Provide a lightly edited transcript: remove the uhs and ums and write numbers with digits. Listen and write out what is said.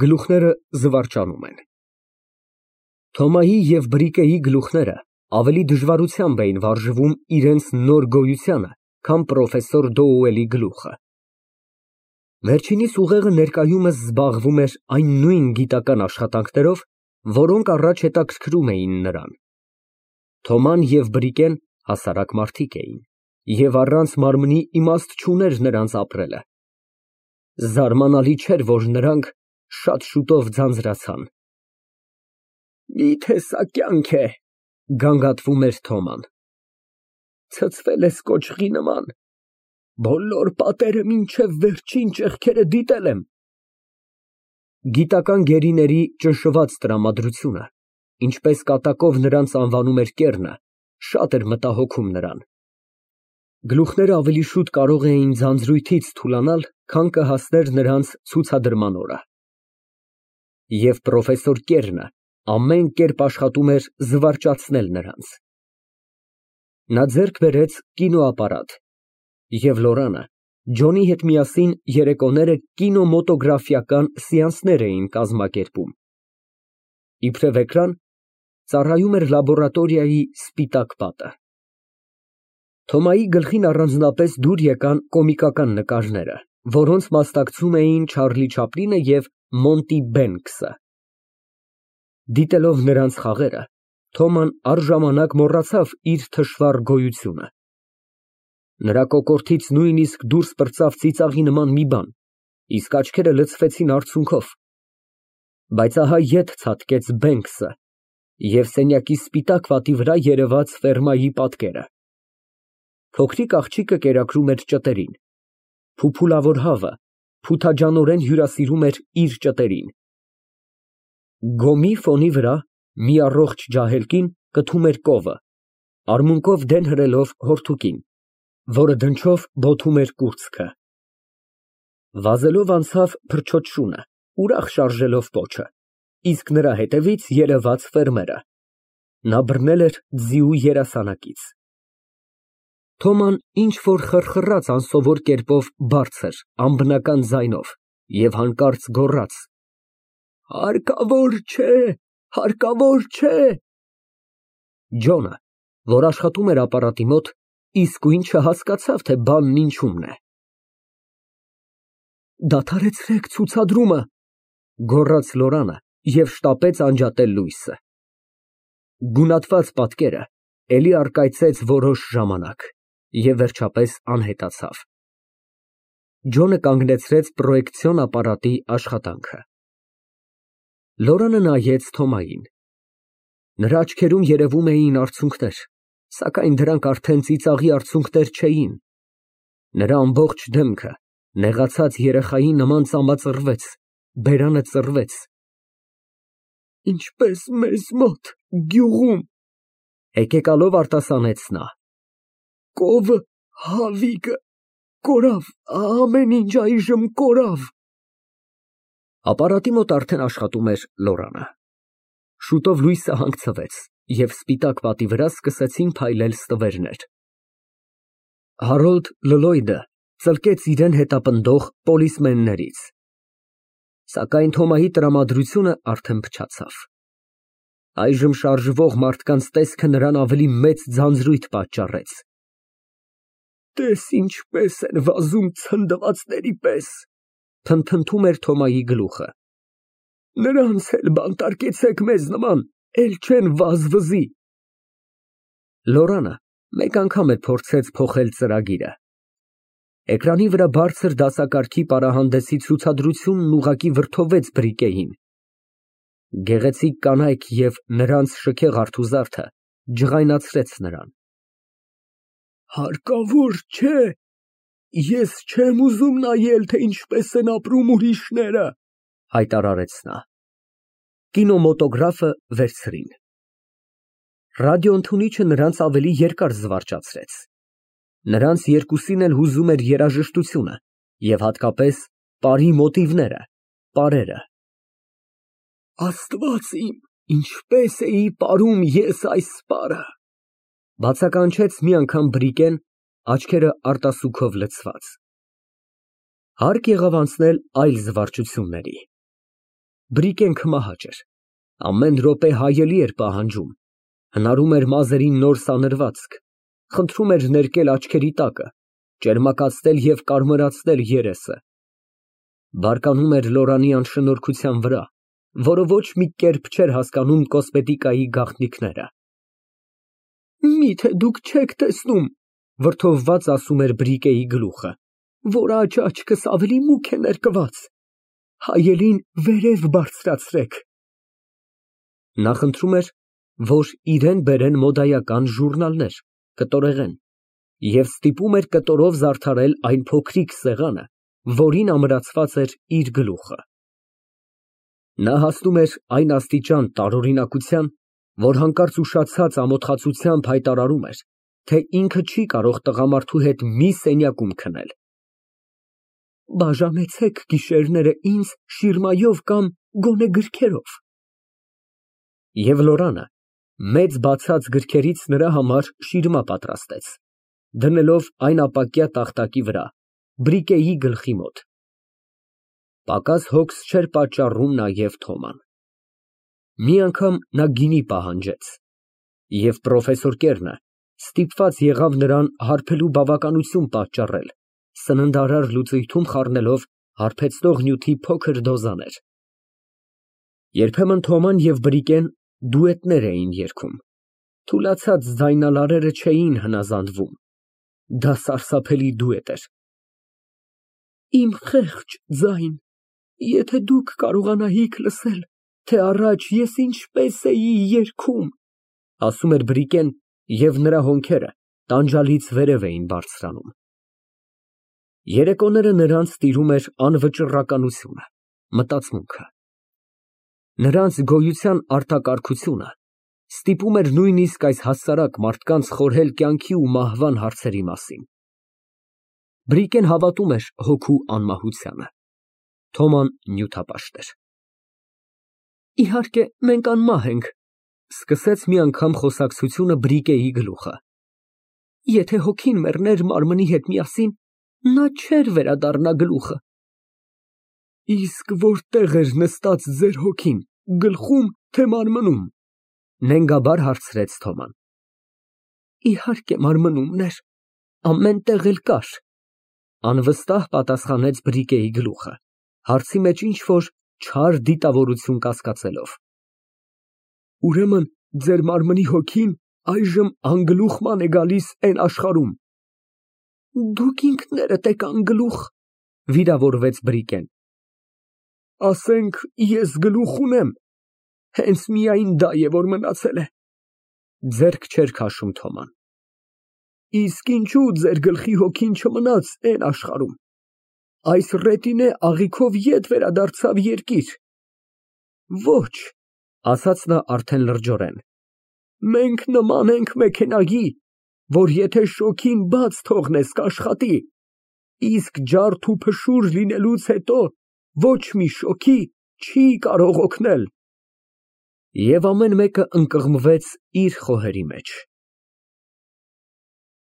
Գլուխները զվարճանում են։ Թոմայի և Բրիկեի գլուխները ավելի դժվարությամբ էին վարժվում իրենց նոր գոյությանը, քան պրոֆեսոր Դոուելի գլուխը։ Վերջինիս ուղեղը ներկայումս զբաղվում էր այն նույն գիտական աշխատանքներով, որոնք առաջ հետաքրքրում էին նրան։ Թոման և Բրիկեն հասարակ մարդիկ էին, և առանց մարմնի իմաստ չուներ նրանց ապրելը։ Զարմանալի չէր, որ նրանք շատ շուտով ձանձրացան։ Մի՞թե սա կյանք է, գանգատվում էր Թոման։ Ցցվել ես կոճղի նման, բոլոր պատերը մինչև վերջին ճեղքերը դիտել եմ։ Գիտական գերիների ճնշված տրամադրությունը, ինչպես կատակով նրանց անվանում էր կեռը, շատ էր մտահոգում նրան։ Գլուխները ավելի շուտ կարող էին ձանձրույթից թուլանալ, քան կհասներ նրանց ցուցադրման օրը։ Եվ պրոֆեսոր Կեռնը ամեն կերպ աշխատում էր զվարճացնել նրանց։ Նա ձեռք բերեց կինոապարատ, և Լորանը Ջոնի հետ միասին երեկոները կինոմոտոգրաֆիական սեանսներ էին կազմակերպում։ Իբրև էկրան ծառայում էր լաբորատորիայի սպիտակ պատը։ Թոմայի գլխին առանձնապես դուր եկան կոմիկական նկարները, որոնց մասնակցում էին Չարլի Չապլինը և Մոնտի Բենքսը։ Դիտելով նրանց խաղերը, Թոման առժամանակ մոռացավ իր թշվառ գոյությունը։ Նրա կոկորդից նույնիսկ դուրս պրծավ ծիծաղի նման մի բան, իսկ աչքերը լցվեցին արցունքով։ Բայց ահա ետ ցատկեց Բենքսը, և սենյակի սպիտակ պատի վրա երևաց ֆերմայի պատկերը։ Փոքրիկ աղջիկը կերակրում էր ճտերին։ Փուփուլավոր հավը փութաջանորեն հյուրասիրում էր իր ճտերին։ Գոմի ֆոնի վրա մի առողջ ջահել կին կթում էր կովը, արմունկով դեն հրելով հորթուկին, որը դնչով բոթում էր կուրծքը։ Վազելով անցավ փրչոտ շունը, ուրախ շարժելով պոչը, իսկ նրա հետևից երևաց ֆերմերը։ Նա բռնել էր ձիու երասանակից։ Թոման ինչ֊որ խռխռաց անսովոր կերպով բարձր, անբնական ձայնով և հանկարծ գոռաց. Հարկավոր չէ, հարկավոր չէ։ Ջոնը, որ աշխատում էր ապարատի մոտ, իսկույն չհասկացավ, թե բանն ինչումն է։ Դադարեցրեք ցուցադրումը, գոռաց Լորանը և շտապեց անջատել լույսը։ Գունատված պատկերը էլի առկայծեց որոշ ժամանակ և վերջապես անհետացավ։ Ջոնը կանգնեցրեց պրոյեկցիոն ապարատի աշխատանքը։ Լորանը նայեց Թոմային։ Նրա աչքերում երևում էին արցունքներ, սակայն դրանք արդեն ծիծաղի արցունքներ չէին։ Նրա ամբողջ դեմքը նեղացած երեխայի նման ծամածռվեց, բերանը ծռվեց։ Ինչպես մեզ մոտ, գյուղում, հեկեկալով արտասանեց նա։ Կովը, հավիքը, կորավ, ամեն ինչ այժմ կորավ։ Ապարատի մոտ արդեն աշխատում էր Լորանը։ Շուտով լույսը հանգցվեց, և սպիտակ պատի վրա սկսեցին փայլել ստվերներ։ Հարոլդ Լլոյդը ծլկեց իրան հետապնդող պոլիսմեններից։ Սակայն Թոմայի տրամադրությունը արդեն փչացավ։ Այժմ շարժվող մարդկանց տեսքը նրան ավելի մեծ ձանձրույթ պատճառեց։ Տես ինչպես են վազում ցնդվածների պես, փնթփնթում էր Թոմայի գլուխը։ Նրանց էլ բանտարկեցեք մեզ նման, էլ չեն վազվզի։ Լորանը մեկ անգամ էլ փորձեց փոխել ծրագիրը։ Էկրանի վրա բարձր դասակարգի պարահանդեսի ցուցադրությունն ուղղակի վրդովեց Բրիկեին։ Գեղեցիկ կանայք և նրանց շքեղ արթուզարդը ջղայնացրեց նրան։ Հարկավոր չէ, ես չեմ ուզում նայել, թե ինչպես են ապրում ուրիշները, հայտարարեց նա։ Կինոմոտոգրաֆը վերցրին։ Ռադիոընդունիչը նրանց ավելի երկար զվարճացրեց։ Նրանց երկուսին էլ հուզում էր երաժշտությունը և հատկապես պարի մոտիվները, պարերը։ Աստված իմ, ինչպես էի պարում ես այս պարը, բացականչեց մի անգամ Բրիկեն, աչքերը արտասուքով լցված։ Հարկ եղավ անցնել այլ զվարճությունների։ Բրիկեն քմահաճ էր, ամեն րոպե հայելի էր պահանջում, հնարում էր մազերին նոր սանրվածք, խնդրում էր ներկել աչքերի տակը, ճերմակացնել և կարմրացնել երեսը։ Բարկանում էր Լորանի անշնորհքության վրա, որը ոչ մի կերպ չէր հասկանում կոսմետիկայի գաղտնիքները։ Միթե դուք չեք տեսնում, վրդովված ասում էր Բրիկեի գլուխը, որ աչքս ավելի մուգ է ներկված, հայելին վերև բարձրացրեք։ Նա խնդրում էր, որ իրան բերեն մոդայական ժուրնալներ, կտորեղեն, և ստիպում էր կտորով զարդարել այն փոքրիկ սեղանը, որին ամրացված էր իր գլուխը։ Նա հասնում էր այն աստիճան տարօրինակության, որ հանկարծ ուշացած ամոթխածությամբ հայտարարում էր, թե ինքը չի կարող տղամարդու հետ մի սենյակում քնել։ Բաժանեցեք գիշերները ինձ շիրմայով կամ գոնե գրքերով։ Եվ Լորանը մեծ բացած գրքերից նրա համար շիրմա պատրաստեց, դնելով այն ապակյա տախտակի վրա, Բրիկեի գլխի մոտ։ Պակաս հոգս չէր պատճառում նաև Թոման։ Մի անգամ նա գինի պահանջեց, և պրոֆեսոր Կերնը ստիպված եղավ նրան հարբելու բավականություն պատճառել, սննդարար լուծույթում խառնելով հարբեցնող նյութի փոքր դոզաներ։ Երբեմն Թոման և Բրիկեն դուետներ էին երգում, թուլացած ձայնալարերը չէին հնազանդվում, դա սարսափելի դուետ էր։ Իմ խեղճ ձայն, եթե դուք կարողանայիք լսել, թե առաջ ես ինչպես էի երգում, ասում էր Բրիկեն, և նրա հոնքերը տանջալից վերև էին բարձրանում։ Երեկոները նրանց տիրում էր անվճռականությունը, մտածմունքը։ Նրանց գոյության արտակարգությունը ստիպում էր նույնիսկ այս հասարակ մարդկանց խորհել կյանքի ու մահվան հարցերի մասին։ Բրիկեն հավատում էր հոգու անմահությանը, Թոման նյութապաշտ էր։ Իհարկե, մենք անմահ ենք, սկսեց մի անգամ խոսակցությունը Բրիկեի գլուխը։ Եթե հոգին մեռներ մարմնի հետ միասին, նա չէր վերադառնա գլուխը։ Իսկ որտե՞ղ էր նստած ձեր հոգին, գլխում, թե մարմնում, նենգաբար հարցրեց Թոման։ Իհարկե մարմնումն էր, ամեն տեղ էլ կար, անվստահ պատասխանեց Բրիկեի գլուխը, հարցի մեջ ինչ֊որ չար դիտավորություն կասկածելով։ Ուրեմն ձեր մարմնի հոգին այժմ անգլուխման է գալիս էն աշխարհում։ Դուք ինքներդ եք անգլուխ, վիրավորվեց Բրիկեն։ Ասենք, ես գլուխ ունեմ, հենց միայն դա է, որ մնացել է, ձեռք չէր քաշում Թոման։ Իսկ ինչու ձեր գլխի հոգին չմնաց էն աշխարհում, այս ռետինե աղիքով ետ վերադարձավ երկիր։ Ոչ, ասաց նա արդեն լրջորեն, մենք նման ենք մեքենայի, որ եթե շոքին բաց թողնես կաշխատի, իսկ ջարդ ու փշուր լինելուց հետո ոչ մի շոքի չի կարող օգնել։ Եվ ամեն մեկը ընկղմվեց իր խոհերի մեջ։